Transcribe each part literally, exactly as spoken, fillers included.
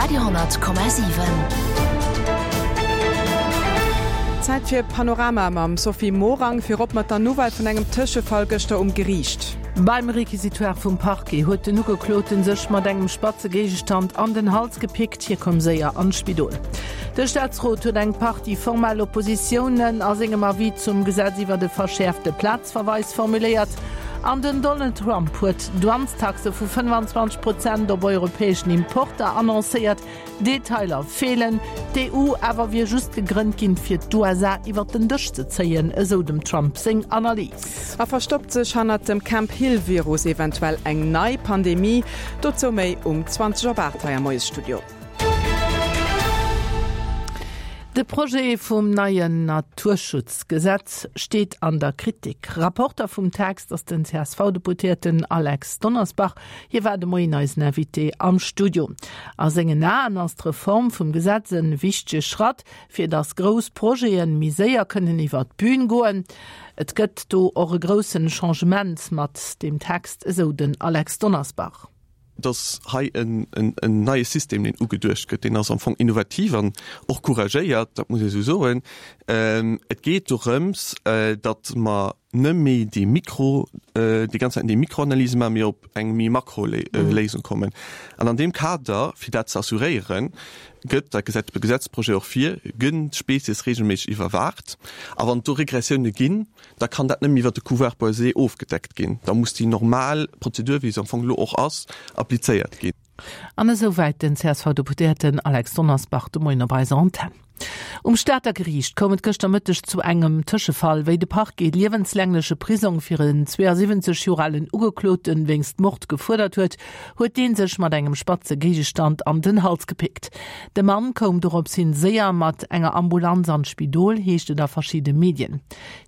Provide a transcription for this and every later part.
Radio honnert Komma siwen. Zäit fir Panorama mam Sophie Morang, virop mat der Nouvelle vun engem Tëschefall gëschter um Geriicht. Beim Requisitoire vum Parquet huet den Ugekloten sech mat engem spatze Géigestand an den Hals gepickt, hie koum séier an d'Spidol. De Staatsrot huet eng Partie formell Oppositiounen a sengem Avis zum Gesetz iwwer de verschäerfte Plazverweis formuléiert. An den Donald Trump huet Douanestaxe vu fënnfanzwanzeg Prozent op europäeschen Importer annoncéiert. Detailer feelen. D'E U awer wier just gegrënnt ginn, fir d'U S A iwwer den Dësch ze zéien, esou dem Trump seng Analys. A verstoppt sech hannert dem Camp Hill-Virus eventuell eng nei Pandemie? Dozou méi um zwanzeg op aacht hei am Moiesstudio. De Projet vum neien Naturschutzgesetz steet an der Kritik. Rapporter vum Text ass den C S V-Deputéierten Alex Donnersbach. Hie war de Moien eisen Invité am Studio. A sengen Aen ass d'Reform vum Gesetz e wichtege Schratt, fir datt grouss Projete méi séier kënnen iwwer d'Bün goen. Et gëtt do och e groussen Changement mat deem Text, esou den Alex Donnersbach. Dass hei en, en, en neie System deen ugeduecht gëtt, deen ass am Fong innovativ an och couragéiert, dat muss ee sou soen. Ähm, et geet dorëms, äh, datt mer net méi déi Mikro, äh, déi ganz Zäit déi Mikroanalyse maachen, mee op eng méi Makroléisung mhm. kommen. An an deem Kader, fir dat ze assuréieren, gëtt, dat gesäit de Gesetzprojet och vir, gënn d'Spezies regelméisseg iwwerwaacht. A wann do Regressioune ginn, da kann dat net méi iwwer de Couvert boisé ofgedeckt ginn. Da muss déi normal Prozedur, wéi se am Fong elo och ass, applizéiert ginn. An esouwäit den C S V-Deputéierten Alex Donnersbach de Moien op eiser Antenn. Um Stater Geriicht koum et gëschter Mëtteg zu engem Tëschefall, wéi de Parquet liewenslängleche Prisong fir en zweeësiwwenzeg Joer alen Ugekloten wéinst Mord gefuerdert huet, huet dee sech mat engem spatze Géigestand an den Hals gepickt. De Mann koum dorops hin séier mat enger Ambulanz an d'Spidol, heescht et a verschiddene Medien.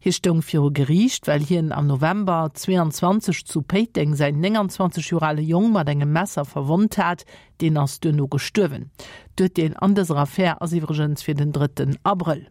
Hie stoung viru Geriicht, well hien am November zweeanzwanzeg zu Péiteng säin nénganzwanzeg Joer ale Jong mat engem Messer verwonnt hat, deen ass duerno gestuerwen. D'Urteel an dëser Affär ass iwwregens fir den drëtten Abrëll.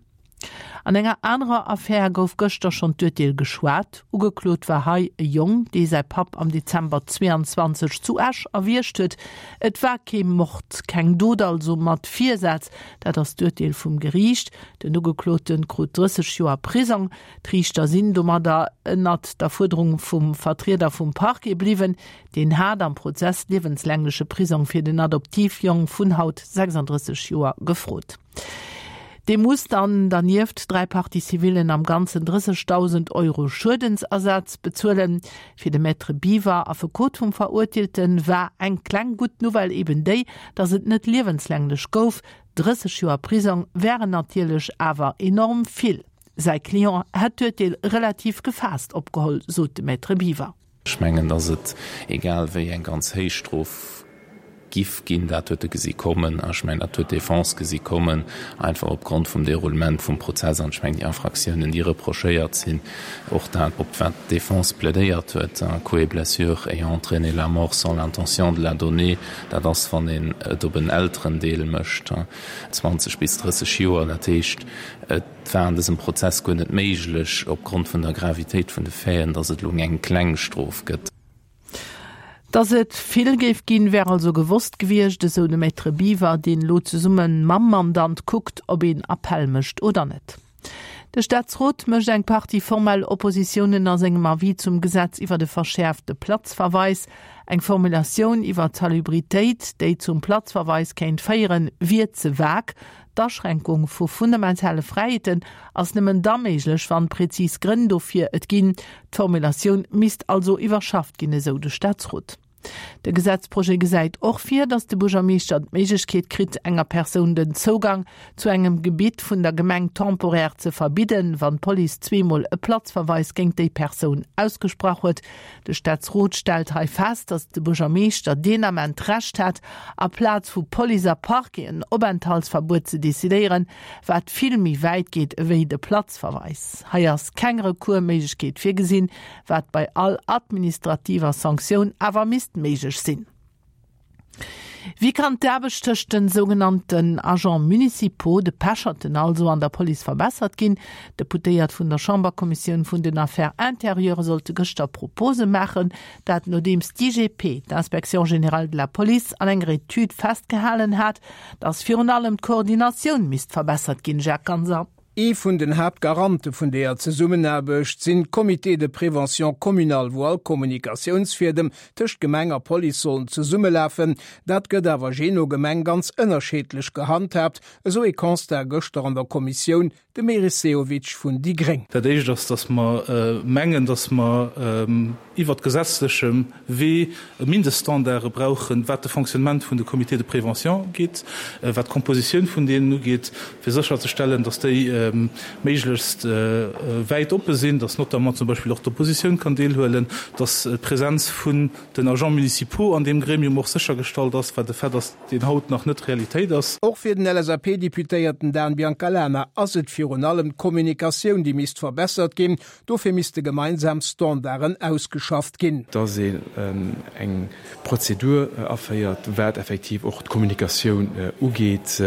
An enger anerer Affär gouf gëschter schonn d'Urteel geschwat. Ugeklot war hei e Jong, dee säi Papp am Dezember zweeanzwanzeg zu Esch erwiergt huet. Et war kee Mord, keng Dot also mat Virsaz, dat ass d'Urteel vum Geriicht. Den Ugeklote krut drësseg Joer Prisong. D'Riichter sinn domadder ënnert der Fuerderung vum Vertrieder vum Parquet bliwwen. Deen hat am Prozess liewenslängleche Prisong fir den Adoptivjong vun haut sechsanddrësseg Joer gefrot. Dee muss dann dernieft dräi Partie-civillen am Ganzen drëssegdausend Euro Schuedensersatz bezuelen. Fir de Maître Biwer, Affekot vum Verurteelten, war eng kleng gutt Nouvelle eben déi, datt et net liewenslänglech gouf. drësseg Joer Prisong wären natierlech awer enorm vill. Säi Client hätt d'Urteel relativ gefaasst opgeholl, sot de Maître Biwer. Ech mengen, datt et egal wéi eng ganz héich Strof giff ginn, dat huet e gesi kommen, a ech mengen, dat huet d'Defense gesi kommen, einfach opgrond vum Déroulement vum Prozess an ech mengen déi Infractiounen, déi reprochéiert sinn, och dat, op wat d'Defense plädéiert huet, coups et blessures ayant entraîné la mort sans l'intention de la donner, dat ass, wann een et op en Elterendeel mécht, zwanzeg bis drësseg Joer. Dat heescht, et war an dësem Prozess guer net méiglech, opgrond vun der Gravitéit vun de Faiten, datt et elo eng kleng Strof gëtt. Datt et vill géif ginn, wär also gewosst gewiescht, esou de Maître Biwer, deen elo zesumme mam Mandant kuckt, ob een Appell mécht oder net. De Staatsrot mécht eng Partie formell Oppositiounen a sengem Avis zum Gesetz iwwer de verschäerfte Platzverweis. Eng Formulatioun iwwer d'Salubritéit, déi zum Platzverweis kéint féieren, wier ze vag. D'Aschränkung vu fundamentale Fräiheeten ass nëmmen da méiglech, wann prezis Grënn dofir et ginn. D'Formulatioun misst also iwwerschafft ginn, esou de Staatsrot. De Gesetzprojet gesäit och vir, datt de Buergermeeschter d'Méiglechkeet kritt, enger Persoun den Zougang zu engem Gebitt vun der Gemeng temporär ze verbidden, wann d'Police zweemol e Platzverweis géint déi Persoun ausgesprach huet. De Staatsrot stellt hei fest, datt de Buergermeeschter deen Ament d'Recht hätt, aplaz vu Police a Parquet en Openthaltsverbuet ze decidéieren, wat vill méi wäit geet ewéi de Platzverweis. Hei ass keng Recoursméiglechkeet virgesinn, wat bei all administrativer Sanktioun awer misst méiglech sinn. Wéi kann d'Aarbecht tëscht den sougenannten Agents municipaux, de Pecherten also, an der Police verbessert ginn? D'Deputéiert vun der Chamberkommissioun vun den Affaires intérieures sollte gëschter Propose maachen, dat nodeems d'IGP, d'Inspection générale de la police, an enger Etüd festgehalen hat, datt virun allem d'Koordinatioun misst verbessert ginn. Jacques Ganser. Ee vun den Haaptgarante vun deeër Zesummenaarbecht sinn d'Comités de prévention communal, wou all Kommunikatiounsfiedem tëscht Gemeng a Police sollen zesummelafen. Dat gëtt awer jee no Gemeng ganz ënnerscheedlech gehandhaabt, esou ee Constat gëschter an der Kommissioun, de Meris Sehovic vun déi gréng. Dat Éischt ass, dass mer mengen, dass mer iwwert gesetzlechem Wee Mindeststandarde brauchen, wat de Fonctionnement vun de Comités de prévention ugeet, wat d'Kompositioun vun deenen ugeet, fir sécherzestellen, dass déi méiglechst wäit oppe sinn, dass notamment zum Beispill och d'Oppositioun kann deelhuelen, dass d'Präsenz vun den Agents municipaux an deem Gremium och séchergestallt ass, wat e Fait ass, deen haut nach net Realitéit ass. Och fir den LSAP-Deputéierten Dan Biancalana ass et virun allem d'Kommunikatioun, déi misst verbessert ginn. Dofir misste gemeinsam Standarden ausgeschafft ginn. Dass een eng Prozedur aféiert, wat effektiv och d'Kommunikatioun ugeet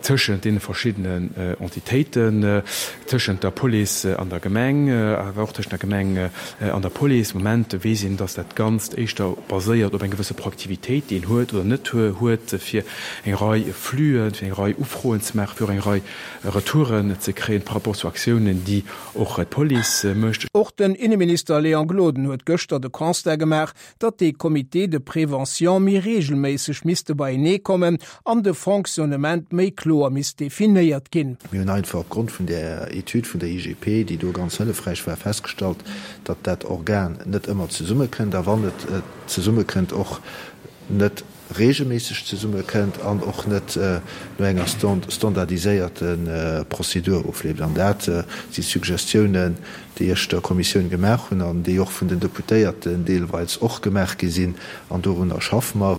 tëschent deene verschiddenen Entitéiten, tëschent der Police an der Gemeng, awer och tëschent der Gemeng an der Police. Am Moment weess een, dass dat Ganzt éischter baséiert op eng gewësse Proaktivitéit, déi een huet oder net huet, fir eng Rei Fluen, fir eng Rei Ufroen ze maachen, fir och eng Rei Retouren ze kréien par rapport zu Aktiounen, déi och d'Police mécht. Och den Inneminister Léon Gloden huet gëschter de Constat gemaach, datt déi Comités de prévention méi reegelméisseg misste beienee kommen an de Fonctionnement méi kloer misst definéiert ginn. Mir hunn einfach opgrond vun där Etüd vun der I G P, déi do ganz hëllefräich war, festgestallt, datt dat Organ net ëmmer zesummekënnt a wann et zesummekënnt, och net reegelméisseg zesummekënnt an och net no enger standardiséierte Prozedur ofleeft. An dat si Suggestiounen, déi ech der Kommissioun gemaach hunn an déi och vun den Deputéierten deelweis och gemaach gi sinn, an dorunner schaffe mer.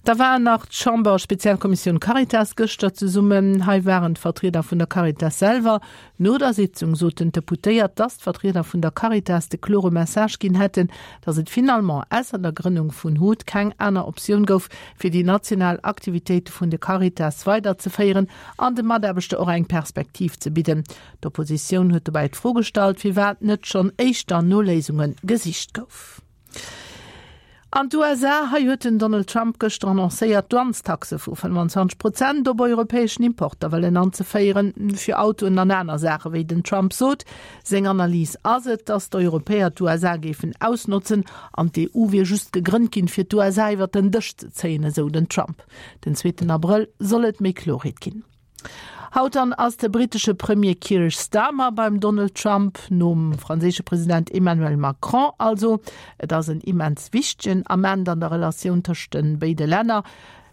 Da war nach d'Chamber-Spezialkommissioun Caritas gëschter zesummen. Hei waren d'Vertrieder vun der Caritas selwer. No der Sitzung soten d'Deputéiert, dass d'Vertrieder vun der Caritas de klore Message ginn hätten, dass et finalement ausser der Grënnung vun HUT keng aner Optioun gouf, fir déi national Aktivitéite vun der Caritas weiderzeféieren an de Mataarbechter och eng Perspektiv ze bidden. D'Oppositioun huet dobäi d'Fro gestallt, firwat net schonn éischter no Léisunge gesicht gouf. An d'U S A, hei huet den Donald Trump gëschter annoncéiert, Douanestaxe vu fënnfanzwanzeg Prozent op europäeschen Importer wëllen anzeféieren, fir Autoen an aner Saachen, wéi den Trump sot. Seng Analys ass et, datt d'Europäer d'U S A géifen ausnotzen an d'E U wier just gegrënnt ginn, fir d'U S A iwwer den Dësch ze zéien, esou den Trump. Den zweeten Abrëll soll et méi Kloerheet ginn. Haut dann ass de brittesche Premier Keir Starmer beim Donald Trump, nom franséische President Emmanuel Macron also. Et ass en immens wichtegen Ament an der Relatioun tëscht de béide Länner.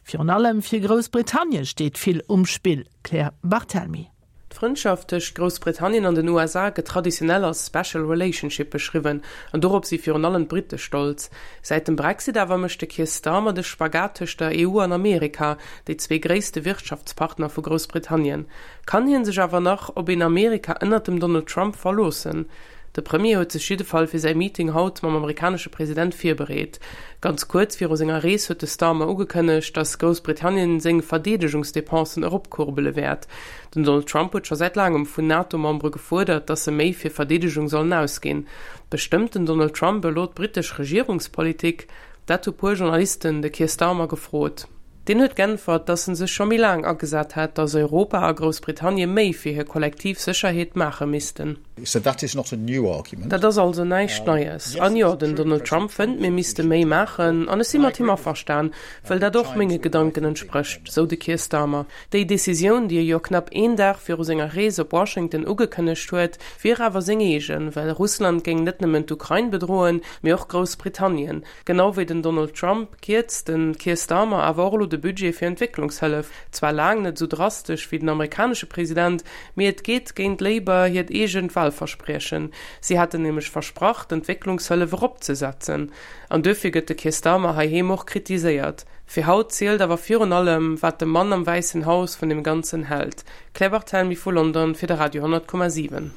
Virun allem fir Groussbritannien steet vill um Spill, Claire Barthelmy. D'Frëndschaft tëscht Groussbritannien an den U S A gëtt traditionell als Special Relationship beschriwwen an dorop si virun allem d'Britte stolz. Säit dem Brexit awer mécht de Keir Starmer de Spagat tëscht der E U an Amerika, déi zwee gréisste Wirtschaftspartner vu Groussbritannien. Kann hien sech awer nach op een Amerika ënnert dem Donald Trump verloossen? De Premier huet sech jiddefall fir säi Meeting haut mam amerikanesche President virbereet. Ganz kuerz viru senger Rees huet de Starmer ugekënnegt, datt Groussbritannien seng Verdeedegungsdepensen eropkuerbele wäert. Den Donald Trump huet scho säit laangem vun NATO-Membere gefuerdert, datt se méi fir Verdeedegung sollen ausginn. Bestëmmt den Donald Trump elo d'brittesch Regierungspolitik? Dat hu puer Journalisten de Keir Starmer gefrot. Deen huet geäntwert, datt en sech scho méi laang agesat hätt, datt Europa a Groussbritannien méi fir hir kollektiv Sécherheet maache missten. Dat ass also näischt Neies. An jo, den Donald Trump fënnt, mir misste méi maachen, an ech si mat him averstan, well dat och menge Gedanken entsprécht, sou de Keir Starmer. Déi Decisioun, déi e jo knapp een Dag viru senger Rees op Washington ugekënnegt huet, wier awer seng eegen, well Russland géing net nëmmen d'Ukrain bedroen, mee och Groussbritannien. Genau wéi den Donald Trump kierzt de Keir Starmer awer och elo de Budget fir Entwécklungshëllef, zwar laang net sou drastesch wéi den amerikanesche President, mee et geet géint Labour hiert eegent Walprogramm. Walverspriechen. Si haten nämlech versprach, d'Entwécklungshëllef eropzesetzen. An duerfir gëtt de Keir Starmer heiheem och kritiséiert. Fir haut zielt awer virun allem, wat de Mann am Wäissen Haus vun deem Ganzen hält. Claire Barthelmy vu London fir de Radio honnert Komma siwen.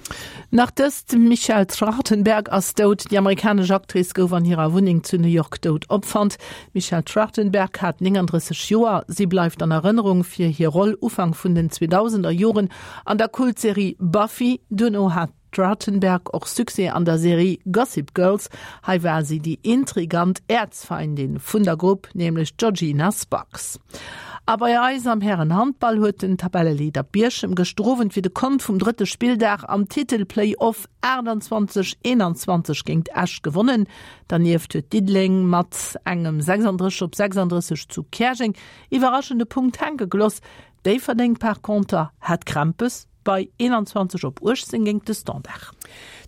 Nach dëst, D'Michelle Trachtenberg ass dout. Déi amerikanesch Actrice gouf an hirer Wunneng zu New York dout opfonnt. D'Michelle Trachtenberg hat nénganddrësseg Joer. Si bleift an Erënnerung fir hir Roll Ufank vun den zweedausender Joren an der Kultserie Buffy. Duerno hat d'Trachtenberg och Succès an der Serie Gossip Girls. Hei war si déi intrigant Äerzfeindin vun der Grupp, nämlech d'Georgina Sparks. A bei eis am Hären-Handball huet den Tabelleleader Bierchem gëschter Owend fir de Kont vum drëtte Spilldag am Titel-Play-Off achttanzwanzeg eenanzwanzeg géint Esch gewonnen. Dernieft huet Diddeleng mat engem sechsanddrësseg op sechsanddrësseg zu Käerjeng iwwerraschend e Punkt hänke gelooss. Déifferdeng par conter hat Krämpes bei eenanzwanzeg op uechtzéng géint de Standard.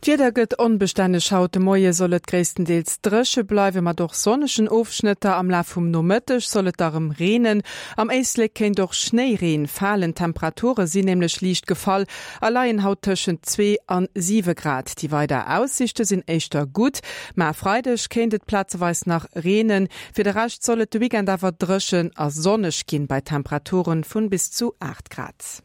D'Wieder gëtt onbestänneg. Haut de Moie soll et gréisstendeels dréche bleiwen, mat och sonnegen Ofschnëtter. Am Laf vum Nomëtteg soll et da rëm reenen. Am Éislek kéint och Schnéireen falen. D'Temperature sinn nämlech liicht gefall a leien haut tëschent zwee an siwe Grad. Déi weider Aussiichte sinn éischter gutt, ma e Freideg kéint et plazeweis nach reenen. Fir de Rescht soll et de Weekend awer dréchen a sonneg ginn, bei Temperature vun bis zu aacht Grad.